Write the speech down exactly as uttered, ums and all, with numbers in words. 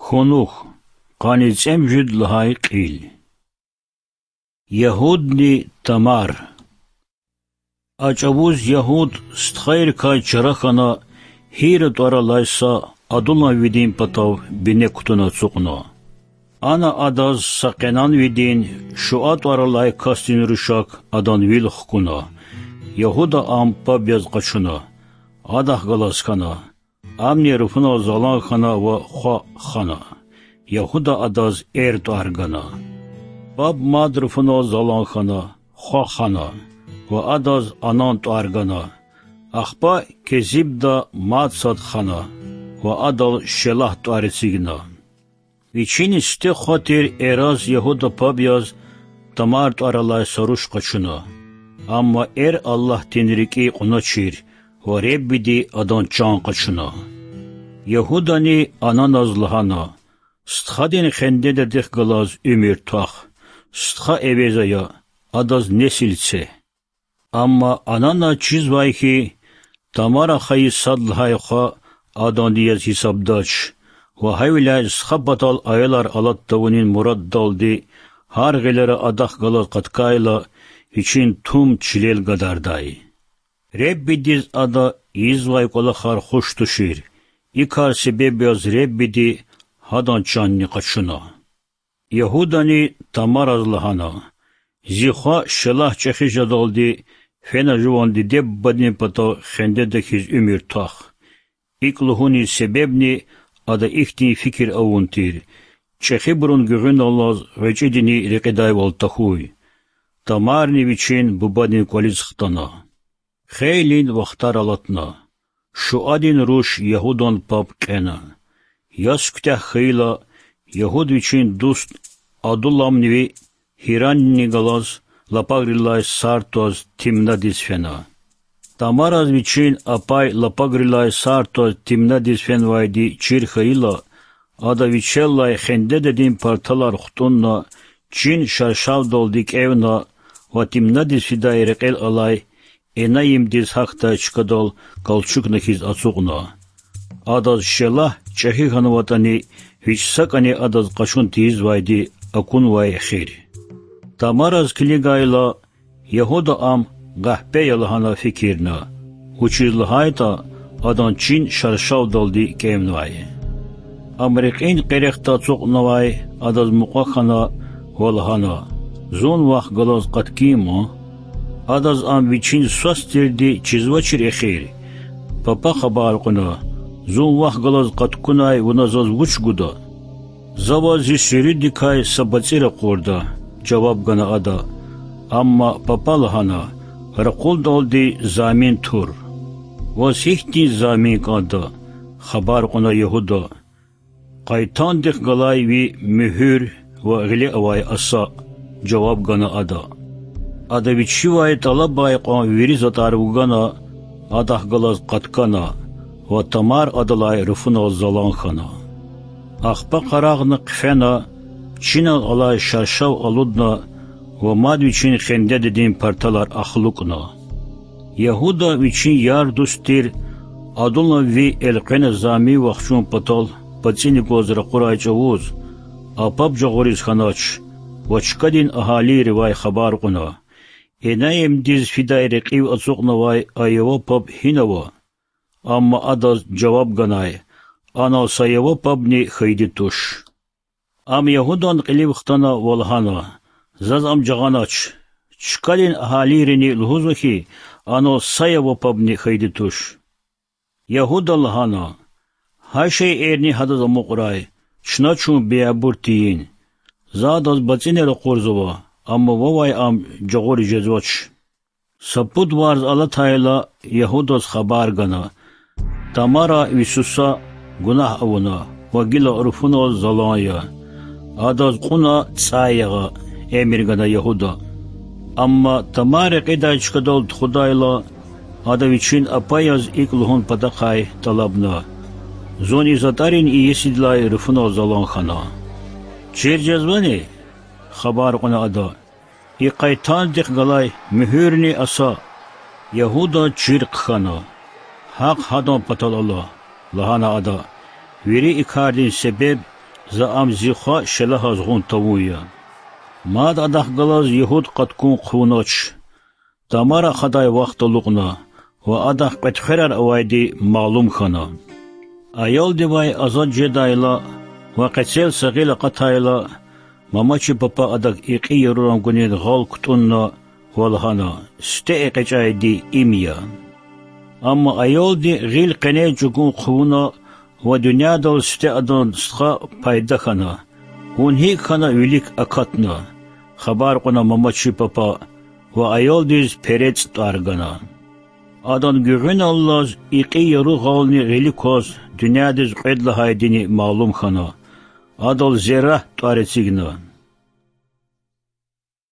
Кунух. Къанни цӀемуьжуьд лагьай кьил. Ягьудни Тамар. А чӀавуз Ягьуд стхайрикай чара хьана, Гьира тӀвар алай са Адулламвидин патав бине кутуна ацукьна. Ана адаз са къенанвидин, Шуа тӀвар алай касдин рушак адан вил хкуна. Ягьуда ам паб яз къачуна. Адахъ галаз хьана. Амни руфунал залан хьана ва хва хана. Ягьуда адаз Эр тӀвар гана. Паб мад руфунал залан хьана, хва хана ва адаз Анан тӀвар гана. Ахпа Кезибда мад сад хана ва адал Шелагь тӀвар эцигна. Вичин сифте хва тир Эраз Ягьуда паб яз Тамар тӀвар алай са руш къачуна. Амма Эр Аллагьдин рикӀи кьуначир ва Худайди адан чан къачуна. Ягьудани Ананаз лагьана: Стхадин хендедадихъ галаз уьмуьр твах, стха эвез ая, адаз несил це. Амма Анана чизвай хьи, Тамара хайи сад лагьай хва аданди яз гьисабдач, ва гьавиляй стха патал аялар алад тавунин мураддалди гьар гъилера адахъ галаз къаткайла, вичин тум чилел гадардай. Худайдиз ада ийизвай кӀвалахар хуш тушир, и кар себеб яз Худайди гьадан чанни къачуна. Ягьудани Тамараз лагьана: Зи хва Шелагь чӀехи жедалди фена жуван диде-бубадин патав хендеда хьиз уьмуьр твах. ИкӀ лугьунин себебни ада ихьтин фикир авун тир: чӀехибурун гуьгъуьналлаз гъвечӀидини рекьидайвал тахьуй. Тамарни вичин бубадин кӀвализ хтана. Хейлин вахтар алатна. Шуадин руш Ягьудан паб кьена. Яс куьтягь хьайила, Ягьуд вичин дуст Адулламнивай Гьиранни галаз лапагърилай сар тваз Тимнадиз фена. Тамараз вичин апай лапагърилай сар тваз Тимнадиз фенвайди чир хьайила, ада вичелай хендедадин парталар хтӀунна, чин шаршавдалди кӀевна ва Тимнадиз фидай рекьел алай Энаимдиз гьахьдай чкадал галчукна хьиз ацукьна. Адаз Шелагь чӀехи хьанватӀани, вич сакӀани адаз къачун тийизвайди акунвай эхир. Тамараз килигайла, Ягьуда ам къахпе я лагьана фикирна, вучиз лагьайтӀа адан чин шаршавдалди кӀевнавай. Ам рекьин къерехда ацукьнавай, адаз мукьва хьана ва лагьана: Зун вахъ галаз къаткин ман? Адаз ам вичин свас тирди чизвачир эхир. Папа хабар кьуна: Зун вахъ галаз къаткунай вуна заз вуч гуда? За ваз зи суьруьдикай са бацӀи ракъурда,— жаваб гана ада. Амма папа лагьана: Ракъурдалди замин тур. Ваз гьихьтин замин кӀанда? хабар кьуна Ягьуда. Къайтандихъ галай ви муьгьуьр ва гъиле авай аса,— жаваб гана ада. Ада вичивай тӀалабай кьван вири затӀар вугана, адахъ галаз къаткана ва Тамар адалай руфунал залан хьана. Ахпа къарагъна хъфена, чинал алай шаршав алудна ва мад вичин хендедадин парталар ахлукьна. Ягьуда вичин яр-дуст тир Адулламви элкъвена замин вахчун патал бацӀини гваз ракъурай чӀавуз, а паб жагъуриз хьанач ва чкадин агьалийривай хабар кьуна: Энаимдиз фидай рекьив ацукьнавай а ява паб гьинава? Амма адаз жаваб ганай: Анал са ява пабни хьайиди туш. Ам Ягьудан кьилив хтана ва лагьана: Заз ам жагъанач. Чкадин агьалийрини лугьузва хьи, анал са ява пабни хьайиди туш. Ягьуда лагьана: Гьа шейэрни гьадаз амукьрай, чна чун беябур тийин. За адаз бацӀини ракъурзава, амма вавай ам жагъуриз жезвач. Са пуд варз алатайла, Ягьудаз хабар гана: Тамара ви суса гунагь авуна ва гила руфунал залан я. Адаз кьуна цӀай ягъа,— эмир гана Ягьуда. Амма Тамар рекьидай чкадал тухудайла, ада вичин апаяз икӀ лугьун патахъай тӀалабна: Зун и затӀарин иесидилай руфунал залан хьана. Чир жезвани? хабар кьуна ада. И къайтандихъ галай муьгьуьрни аса. Ягьуда чир хъхьана. Гьахъ гьадан патал ала,— лагьана ада. Вири и кардин себеб За ам зи хва шелагьаз гъун тавун я. Мад адахъ галаз югьуд къаткун хъувунач. Тамара хадай вахт алукьна ва адахъ кьветхверар авайди малум хьана. Аялдивай азад жедайла ва къецел са гъил акъатайла, мамачи папа адак икьи яруран гунин гъал кутӀунна ва лагьана: Сифте экъечӀайди им я. Амма аялди гъил къене чӀугун хъувуна ва дуьньядал сифте адан стха пайда хьана. Вун гьикӀ хьана вилик акатна? хабар кьуна мамачи папа ва аялдиз перецӀ тӀвар гана. Адан гуьгъуьналлаз икьи яру гъални гъили кваз дуьньядиз кьвед лагьайдини малум хьана. Адал Зеррагь тӀвар эцигна.